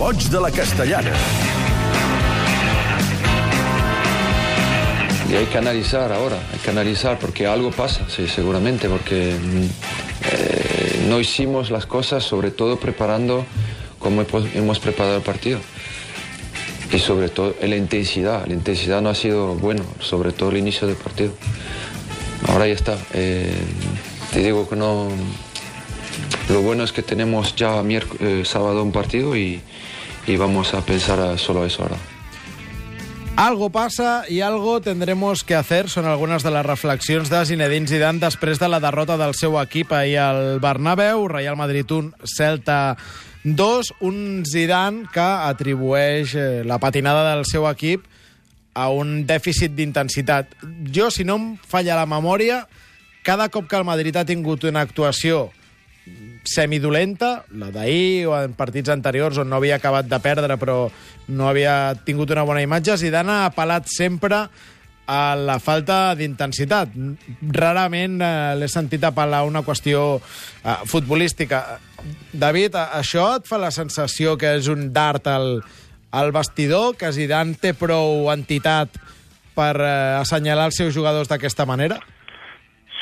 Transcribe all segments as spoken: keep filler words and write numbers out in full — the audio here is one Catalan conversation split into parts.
Goig de la Castellana. Y hay que analizar ahora, hay que analizar porque algo pasa, sí, seguramente, porque eh, no hicimos las cosas, sobre todo preparando como hemos preparado el partido. Y sobre todo la intensidad, la intensidad no ha sido bueno, sobre todo el inicio del partido. Ahora ya está. Eh, te digo que no. Lo bueno es que tenemos ya eh, sábado un partido y, y vamos a pensar a solo eso ahora. Algo passa i algo tendremos que hacer. Són algunes de les reflexions de Zinedine Zidane després de la derrota del seu equip ahir al Bernabéu. Real Madrid un, Celta dos. Un Zidane que atribueix la patinada del seu equip a un dèficit d'intensitat. Jo, si no em falla la memòria, cada cop que el Madrid ha tingut una actuació semidolenta, la d'ahir o en partits anteriors on no havia acabat de perdre però no havia tingut una bona imatge, Zidane ha apel·lat sempre a la falta d'intensitat. Rarament eh, l'he sentit apel·lar a una qüestió eh, futbolística. David, això et fa la sensació que és un dart al, al vestidor, que Zidane té prou entitat per eh, assenyalar els seus jugadors d'aquesta manera?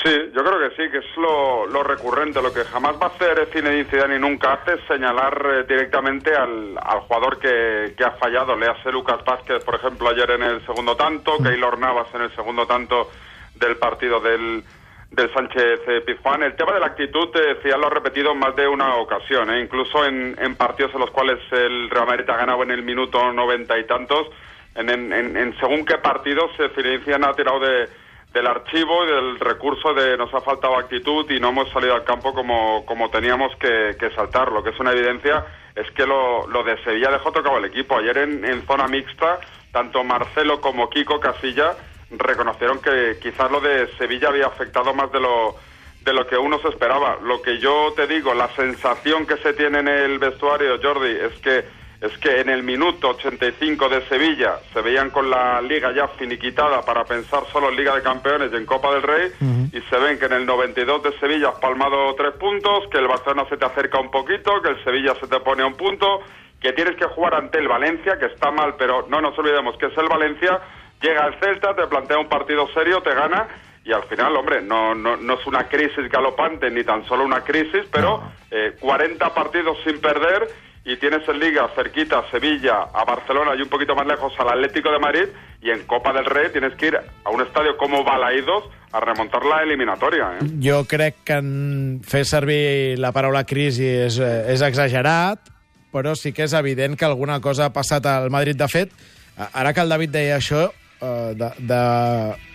Sí, yo creo que sí, que es lo, lo recurrente. Lo que jamás va a hacer Zinedine Zidane y nunca hace es señalar eh, directamente al, al jugador que, que ha fallado. Le hace Lucas Vázquez, por ejemplo, ayer en el segundo tanto, Keylor Navas en el segundo tanto del partido del, del Sánchez-Pizjuán. El tema de la actitud, eh, Zidane lo ha repetido en más de una ocasión, eh, incluso en, en partidos en los cuales el Real Madrid ha ganado en el minuto noventa y tantos. En, en, en, en según qué partidos eh, Zinedine Zidane ha tirado de... del archivo y del recurso de nos ha faltado actitud y no hemos salido al campo como, como teníamos que, que saltar. Lo que es una evidencia es que lo, lo de Sevilla dejó tocado el equipo. Ayer en, en zona mixta, tanto Marcelo como Kiko Casilla reconocieron que quizás lo de Sevilla había afectado más de lo, de lo que uno se esperaba. Lo que yo te digo, la sensación que se tiene en el vestuario, Jordi, es que es que en el minuto ochenta y cinco de Sevilla se veían con la Liga ya finiquitada para pensar solo en Liga de Campeones y en Copa del Rey, uh-huh. y se ven que en el noventa y dos de Sevilla has palmado tres puntos, que el Barcelona se te acerca un poquito, que el Sevilla se te pone a un punto, que tienes que jugar ante el Valencia, que está mal, pero no nos olvidemos que es el Valencia, llega el Celta, te plantea un partido serio, te gana, y al final, hombre, no, no, no es una crisis galopante, ni tan solo una crisis, pero no. eh, cuarenta partidos sin perder, y tienes en Liga cerquita a Sevilla, a Barcelona y un poquito más lejos al Atlético de Madrid, y en Copa del Rey tienes que ir a un estadio como Balaídos a remontar la eliminatòria. Eh? Jo crec que en fer servir la paraula crisi és, és exagerat, però sí que és evident que alguna cosa ha passat al Madrid. De fet, ara que el David deia això, de, de,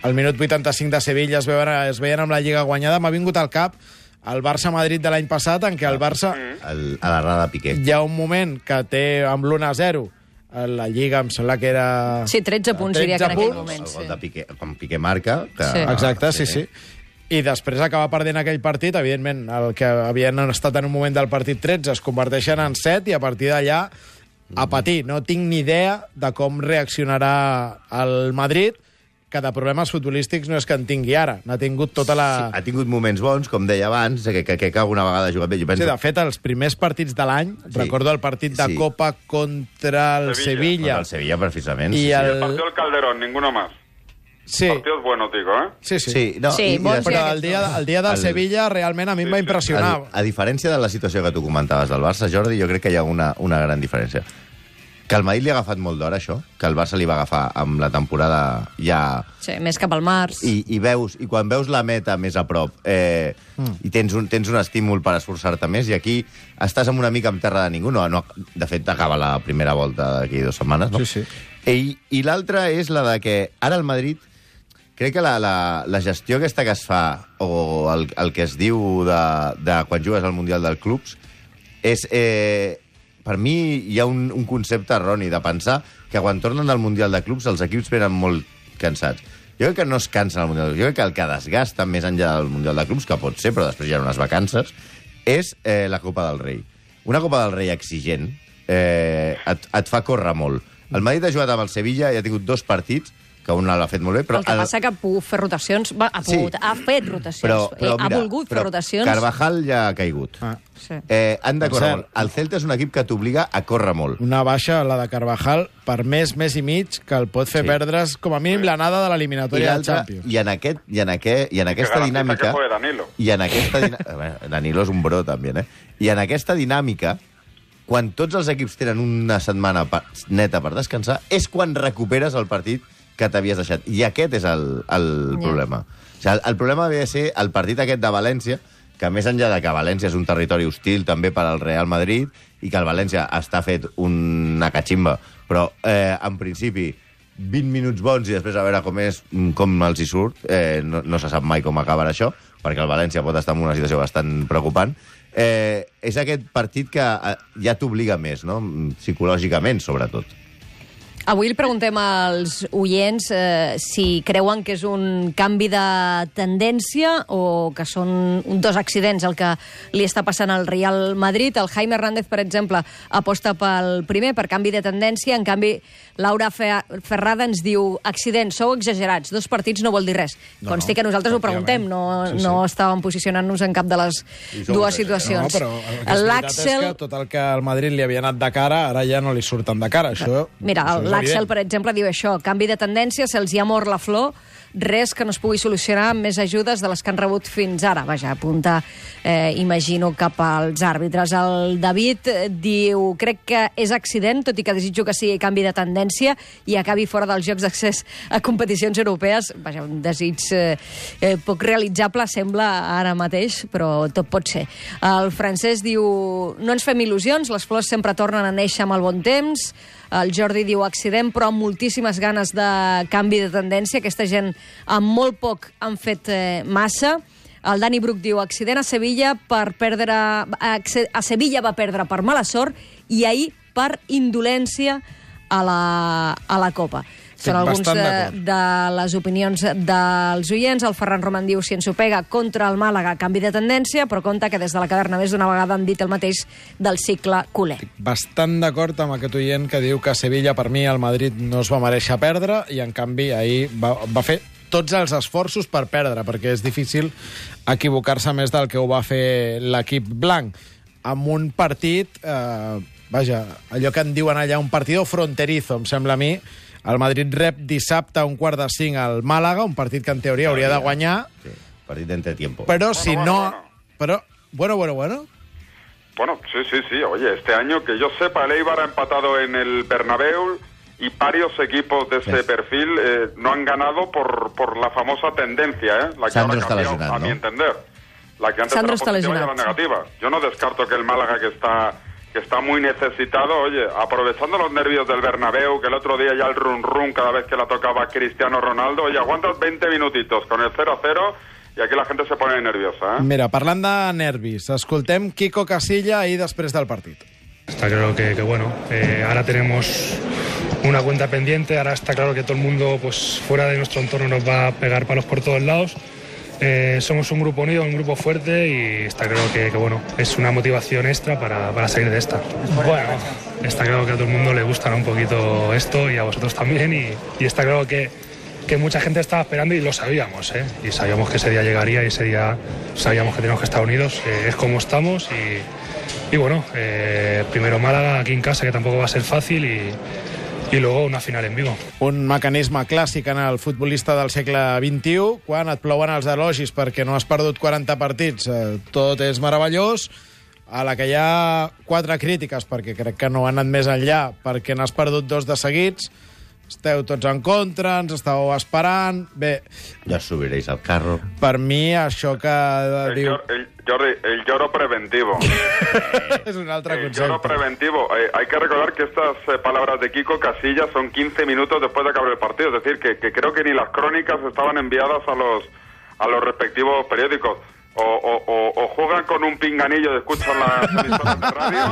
al minut vuitanta-cinc de Sevilla es veien, es veien amb la Lliga guanyada, m'ha vingut al cap el Barça-Madrid de l'any passat, en què el Barça... El, a l'errada de Piqué. Hi ha un moment que té amb l'u a zero la Lliga, em sembla que era... Sí, tretze punts, diria que en aquell moment. El gol de Piqué, quan Piqué marca... Que... Sí. Exacte, sí, sí. I després acaba perdent aquell partit, evidentment, el que havien estat en un moment del partit tretze es converteixen en set i a partir d'allà a patir. No tinc ni idea de com reaccionarà el Madrid, que de problemes futbolístics no és que en tingui ara. N'ha tingut tota la... Sí, ha tingut moments bons, com deia abans, que, que, que alguna vegada ha jugat bé. Jo penso... Sí, de fet, els primers partits de l'any, sí. Recordo el partit de sí. Copa contra el Sevilla. Sevilla. Contra el Sevilla, precisament. I sí, el... el partido del Calderón, ninguno más. Sí. Partidos buenos, digo, ¿eh? Sí, sí. sí, no, sí i, bon, i però el dia, el dia del el... Sevilla realment a mi em va impressionar. A, a diferència de la situació que tu comentaves del Barça, Jordi, jo crec que hi ha una, una gran diferència. Que el Madrid li ha agafat molt d'hora, això, que el Barça li va agafar amb la temporada ja... Sí, més cap al març. I, i, veus, i quan veus la meta més a prop eh, mm. i tens un, tens un estímul per esforçar-te més, i aquí estàs amb una mica en terra de ningú. No, no, de fet, acaba la primera volta d'aquí dues setmanes, no? Sí, sí. I, i l'altra és la de que ara el Madrid... Crec que la, la, la gestió aquesta que es fa, o el, el que es diu de, de quan jugues al Mundial dels Clubs, és... Eh, per mi hi ha un, un concepte erroni de pensar que quan tornen al Mundial de Clubs els equips venen molt cansats. Jo crec que no es cansen al Mundial de Clubs. Jo crec que el que desgasta més enllà del Mundial de Clubs, que pot ser, però després hi ha unes vacances, és eh, la Copa del Rei. Una Copa del Rei exigent eh, et, et fa córrer molt. El Madrid ha jugat amb el Sevilla i ha tingut dos partits que un l'ha fet molt bé. Però el que passa el... que ha pogut fer rotacions, va, ha, pogut, sí. ha fet rotacions, però, però, ha mira, volgut però fer rotacions. Carvajal ja ha caigut. Ah. Sí. Eh, han de córrer molt. El Celta és un equip que t'obliga a córrer molt. Una baixa, la de Carvajal, per més, més i mig, que el pot fer sí. perdre's, com a mínim, l'anada de l'eliminatòria del Champions. I en, aquest, i en, aquest, i en aquesta dinàmica... I en aquesta dinàmica... Danilo és un bro, també, eh? I en aquesta dinàmica, quan tots els equips tenen una setmana neta per descansar, és quan recuperes el partit que t'havies deixat. I aquest és el, el yeah. problema. O sigui, el, el problema havia de ser el partit aquest de València, que més enllà de que València és un territori hostil també per al Real Madrid i que el València està fet una catximba, però eh, en principi vint minuts bons i després a veure com és, com els hi surt, eh, no, no se sap mai com acabarà això, perquè el València pot estar en una situació bastant preocupant. Eh, és aquest partit que ja t'obliga més, no? Psicològicament, sobretot. Avui li preguntem als oients eh, si creuen que és un canvi de tendència o que són dos accidents el que li està passant al Real Madrid. El Jaime Hernández, per exemple, aposta pel primer, per canvi de tendència. En canvi, Laura Ferrada ens diu accident, sou exagerats, dos partits no vol dir res. No, Consti que nosaltres ho preguntem, no, sí, sí. no estàvem posicionant-nos en cap de les dues situacions. No, però el que és veritat és que tot el que al Madrid li havia anat de cara, ara ja no li surten de cara. Això, Mira, això l'Àxel, per exemple, diu això, canvi de tendència, se'ls hi ha mort la flor, res que no es pugui solucionar amb més ajudes de les que han rebut fins ara. Vaja, apunta, eh, imagino, cap als àrbitres. El David diu, crec que és accident, tot i que desitjo que sigui canvi de tendència i acabi fora dels jocs d'accés a competicions europees. Vaja, un desig eh, eh, poc realitzable, sembla, ara mateix, però tot pot ser. El Francesc diu, no ens fem il·lusions, les flors sempre tornen a néixer amb el bon temps. El Jordi diu accident, però amb moltíssimes ganes de canvi de tendència. Aquesta gent amb molt poc han fet eh, massa. El Dani Bruc diu accident a Sevilla per perdre... A Sevilla va perdre per mala sort i ahir per indolència a la, a la Copa. Són alguns de, de les opinions dels oients. El Ferran Roman diu si ens ho pega contra el Màlaga, canvi de tendència, però compta que des de la caverna més d'una vegada han dit el mateix del cicle culer. Estic bastant d'acord amb aquest oient que diu que a Sevilla, per mi, el Madrid no es va mereixer perdre i, en canvi, ahir va, va fer tots els esforços per perdre, perquè és difícil equivocar-se més del que ho va fer l'equip blanc. Amb un partit, eh, vaja, allò que en diuen allà, un partido fronterizo, em sembla a mi. El Madrid rep dissabte a un quart de cinc al Màlaga, un partit que en teoria hauria de guanyar. Sí, partit d'entretiempo. Però si bueno, no... Bueno, bueno. Pero, bueno, bueno, bueno. Bueno, sí, sí, sí. Oye, este año, que yo sepa, el Eibar ha empatado en el Bernabéu y varios equipos de ese sí. perfil eh, no han ganado por, por la famosa tendencia, ¿eh? La que Sandro ahora cambió, lesionado, a mi ¿no? entender. La que antes Sandro era positiva y ahora negativa. Yo no descarto que el Málaga, que está... que está muy necesitado, oye, aprovechando los nervios del Bernabéu, que el otro día ya el run-run cada vez que la tocaba Cristiano Ronaldo, oye, aguantas veinte minutitos con el cero a cero y aquí la gente se pone nerviosa, ¿eh? Mira, parlant de nervis, escoltem Quico Casilla ahir després del partit. Está claro que, que bueno, eh, ahora tenemos una cuenta pendiente, ahora está claro que todo el mundo pues fuera de nuestro entorno nos va a pegar palos por todos lados. Eh, somos un grupo unido, un grupo fuerte y está claro que, que bueno, es una motivación extra para, para salir de esta. Bueno, está claro que a todo el mundo le gusta, ¿no?, un poquito esto y a vosotros también y, y está claro que, que mucha gente estaba esperando y lo sabíamos, ¿eh? Y sabíamos que ese día llegaría y ese día sabíamos que teníamos que estar unidos, eh, es como estamos y, y bueno, eh, primero Málaga aquí en casa, que tampoco va a ser fácil y... i luego una final en Vigo. Un mecanisme clàssic en el futbolista del segle vint-i-u, quan et plouen els elogis perquè no has perdut quaranta partits, eh, tot és meravellós, a la que hi ha quatre crítiques, perquè crec que no han anat més enllà, perquè n'has perdut dos de seguits, esteu tots en contra, ens estàveu esperant... Bé... Ja subiréis al carro. Per mi, això que el diu... Llor, el, Jordi, el lloro preventivo. Es un altre el concepte. lloro preventivo. Eh, hay que recordar que estas eh, palabras de Quico Casillas son quince minutos después de acabar el partido. Es decir, que, que creo que ni las crónicas estaban enviadas a los, a los respectivos periódicos. O, o, o, o juegan con un pinganillo de escuchan las emisoras de radio,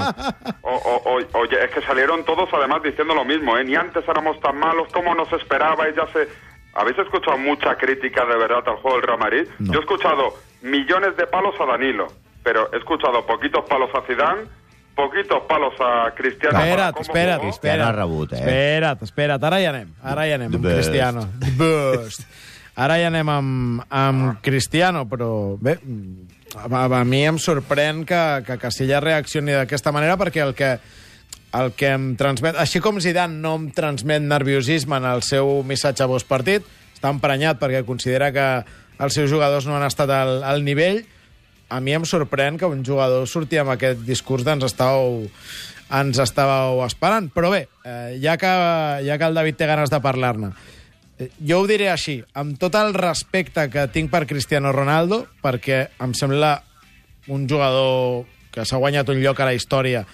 o, o, o, oye, es que salieron todos además diciendo lo mismo, ¿eh? Ni antes éramos tan malos como nos esperabais, ya se... ¿Habéis escuchado mucha crítica de verdad al juego del Real Madrid? No. Yo he escuchado millones de palos a Danilo, pero he escuchado poquitos palos a Zidane, poquitos palos a Cristiano. Espera't, espera't, Cristiano espera't. ha rebut, eh? Espera't, espera't. Ara hi anem. Ara hi anem amb The Cristiano. The best. Ara hi anem amb, amb Cristiano, però bé, a, a mi em sorprèn que, que Casillas reaccioni d'aquesta manera, perquè el que, el que em transmet... Així com Zidane no em transmet nerviosisme en el seu missatge postpartit, està emprenyat perquè considera que els seus jugadors no han estat al, al nivell, a mi em sorprèn que un jugador surti amb aquest discurs d'ens estàveu, ens estàveu esperant. Però bé, eh, ja, que, ja que el David té ganes de parlar-ne, eh, jo ho diré així, amb tot el respecte que tinc per Cristiano Ronaldo, perquè em sembla un jugador que s'ha guanyat un lloc a la història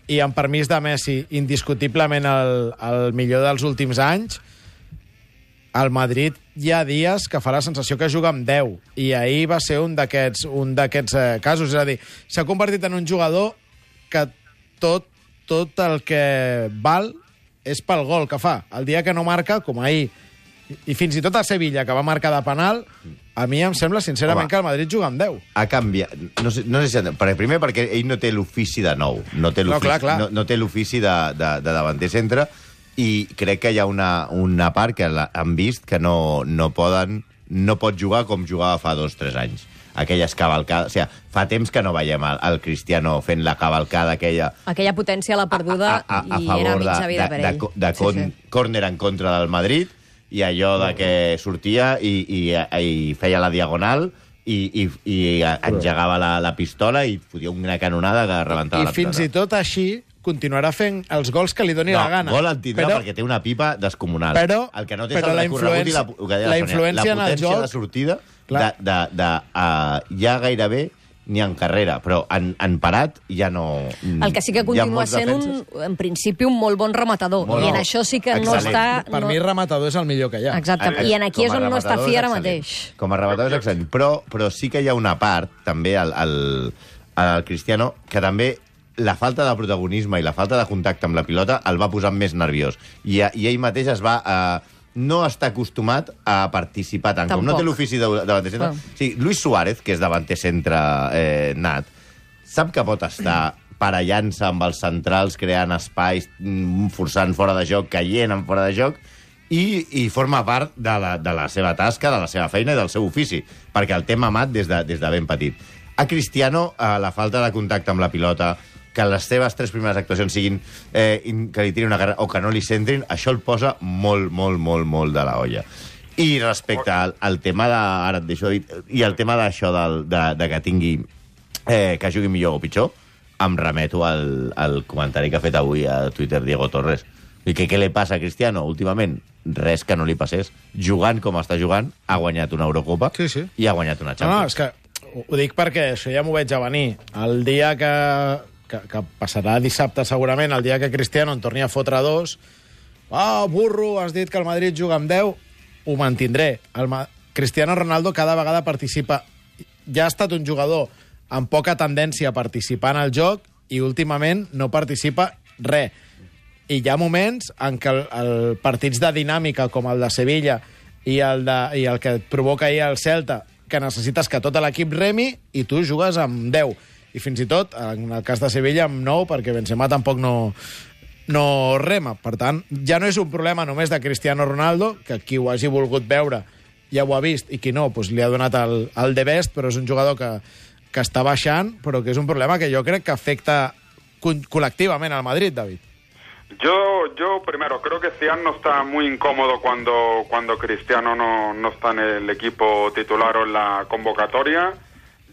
i amb permís de Messi, indiscutiblement el, el millor dels últims anys, al Madrid hi ha dies que fa la sensació que juga amb deu, i ahir va ser un d'aquests un d'aquests eh, casos. És a dir, s'ha convertit en un jugador que tot, tot el que val és pel gol que fa. El dia que no marca, com ahir, i fins i tot a Sevilla, que va marcar de penal, a mi em sembla, sincerament, Home, que el Madrid juga amb deu. Ha canviat. No sé, no sé si... Per, primer, perquè ell no té l'ofici de nou. No té l'ofici no, clar, clar. no, no té l'ofici de, de, de davanter centre, i crec que hi ha una, una part que la, han vist que no, no poden no pot jugar com jugava fa dos o tres anys. Aquelles cavalcades... O sigui, fa temps que no veiem el, el Cristiano fent la cavalcada aquella... Aquella potència a la perduda a, a, a, a i era mitja de, vida de, per ell. de, de con, sí, sí. córner en contra del Madrid, i allò de que sortia i, i, i feia la diagonal i, i, i engegava la, la pistola i fotia una canonada que rebentava I la pistola. fins i tot així continuarà fent els gols que li doni no, la gana. Gol en tindrà però, perquè té una pipa descomunal. Però, el que no té però és el la recorregut i la, influència, la, la influència en la el potència joc... de sortida Clar. de, de, de, uh, ja gairebé ni en carrera, però en, en parat ja no... El que sí que continua sent, un, en principi, un molt bon rematador. Molt I en això sí que excel·lent. No està... Per no... mi, rematador és el millor que hi ha. Exacte. I en aquí és on no està fi ara mateix. Com a rematador és excel·lent. Però, però sí que hi ha una part, també, al, al, al Cristiano, que també la falta de protagonisme i la falta de contacte amb la pilota el va posar més nerviós. I, i ell mateix es va... Eh, no està acostumat a participar tant. Tampoc. Com no té l'ofici de, de davanter centre... Bueno. Sí, Luis Suárez, que és davanter centre eh, nat, sap que pot estar parellant-se amb els centrals, creant espais, forçant fora de joc, caient en fora de joc, i, i forma part de la, de la seva tasca, de la seva feina i del seu ofici, perquè el té mamat des de, des de ben petit. A Cristiano, eh, la falta de contacte amb la pilota, que les seves tres primeres actuacions siguin eh, que li tirin una carrera o que no li centrin, això el posa molt, molt, molt, molt de la olla. I respecte al, al tema de... Ara et deixo dir... I el tema d'això de, de, de que tingui... Eh, que jugui millor o pitjor, em remeto al, al comentari que ha fet avui a Twitter Diego Torres. I que què li passa a Cristiano últimament? Res que no li passés. Jugant com està jugant, ha guanyat una Eurocopa sí, sí. i ha guanyat una Champions. No, no, és que ho dic perquè això ja m'ho veig a venir. El dia que... Que, que passarà dissabte segurament, el dia que Cristiano en torni a fotre dos, ah, oh, burro, has dit que el Madrid juga amb deu, ho mantindré. El Ma... Cristiano Ronaldo cada vegada participa. Ja ha estat un jugador amb poca tendència a participar en el joc i últimament no participa res. I hi ha moments en què el, el partits de dinàmica com el de Sevilla i el, de, i el que et provoca ahir el Celta, que necessites que tot l'equip remi i tu jugues amb deu. I fins i tot, en el cas de Sevilla, amb nou, perquè Benzema tampoc no, no rema. Per tant, ja no és un problema només de Cristiano Ronaldo, que qui ho hagi volgut veure ja ho ha vist, i qui no, doncs li ha donat el, el de best, però és un jugador que, que està baixant, però que és un problema que jo crec que afecta col·lectivament al Madrid, David. Yo, yo primero, creo que Zidane no está muy incómodo cuando, cuando Cristiano no, no está en el equipo titular o en la convocatoria.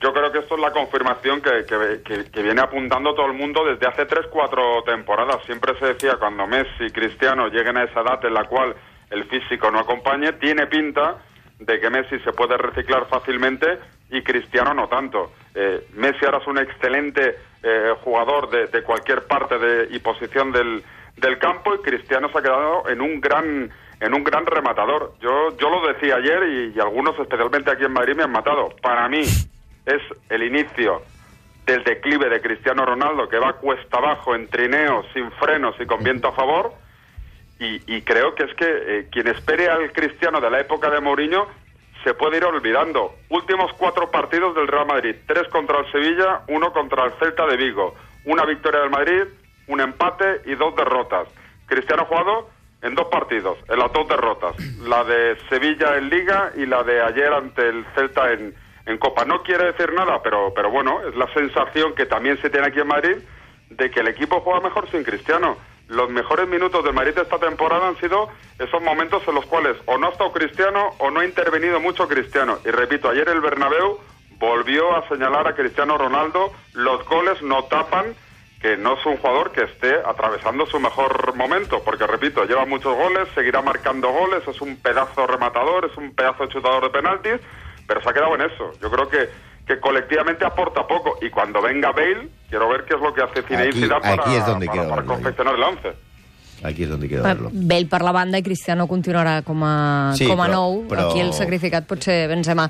Yo creo que esto es la confirmación que, que, que, que viene apuntando todo el mundo desde hace tres, cuatro temporadas. Siempre se decía, cuando Messi y Cristiano lleguen a esa edad en la cual el físico no acompañe, tiene pinta de que Messi se puede reciclar fácilmente y Cristiano no tanto. Eh, Messi ahora es un excelente eh, jugador de, de cualquier parte de, y posición del, del campo, y Cristiano se ha quedado en un gran... en un gran rematador. Yo, yo lo decía ayer y, y algunos, especialmente aquí en Madrid, me han matado. Para mí es el inicio del declive de Cristiano Ronaldo, que va cuesta abajo, en trineo, sin frenos y con viento a favor, y, y creo que es que eh, quien espere al Cristiano de la época de Mourinho se puede ir olvidando. Últimos cuatro partidos del Real Madrid: tres contra el Sevilla, uno contra el Celta de Vigo, una victoria del Madrid, un empate y dos derrotas. Cristiano ha jugado en dos partidos, en las dos derrotas, la de Sevilla en Liga y la de ayer ante el Celta en, en Copa. No quiere decir nada, pero, pero bueno, es la sensación que también se tiene aquí en Madrid de que el equipo juega mejor sin Cristiano. Los mejores minutos del Madrid de esta temporada han sido esos momentos en los cuales o no ha estado Cristiano o no ha intervenido mucho Cristiano. Y repito, ayer el Bernabéu volvió a señalar a Cristiano Ronaldo, los goles no tapan que no es un jugador que esté atravesando su mejor momento, porque repito, lleva muchos goles, seguirá marcando goles, es un pedazo rematador, es un pedazo chutador de penaltis, pero se ha quedado en eso. Yo creo que, que colectivamente aporta poco, y cuando venga Bale, quiero ver qué es lo que hace Zinedine Zidane para, aquí és donde para, para confeccionar el once. Aquí és on quiero verlo. Bale per la banda i Cristiano continuarà com a, sí, com a però, nou. Però... Aquí el sacrificat pot ser Benzema.